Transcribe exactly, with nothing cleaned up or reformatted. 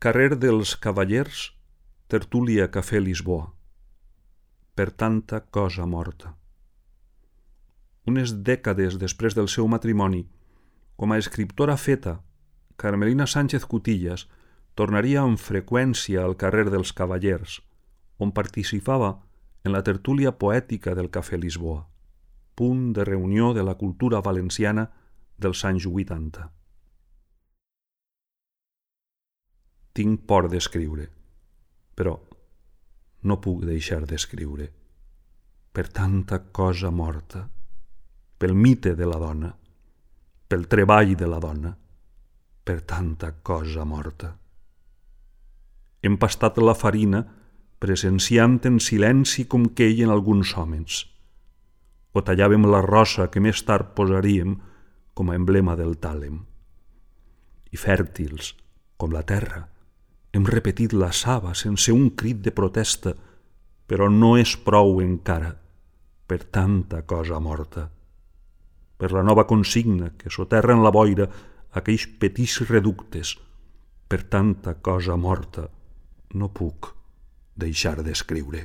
Carrer dels Cavallers, tertúlia Cafè Lisboa. Per tanta cosa morta. Unes dècades després del seu matrimoni, com a escriptora feta, Carmelina Sánchez Cutillas tornaria amb freqüència al carrer dels Cavallers, on participava en la tertúlia poètica del Cafè Lisboa, punt de reunió de la cultura valenciana dels anys vuitanta. Tinc por d'escriure, però no puc deixar d'escriure. Per tanta cosa morta, pel mite de la dona, pel treball de la dona, per tanta cosa morta. Hem pastat la farina presenciant en silenci com queien alguns homes, o tallàvem la rosa que més tard posaríem com a emblema del tàlem. I fèrtils, com la terra, hem repetit la saba sense un crit de protesta, però no és prou encara per tanta cosa morta. Per la nova consigna que soterra en la boira aquells petits reductes, per tanta cosa morta no puc deixar d'escriure.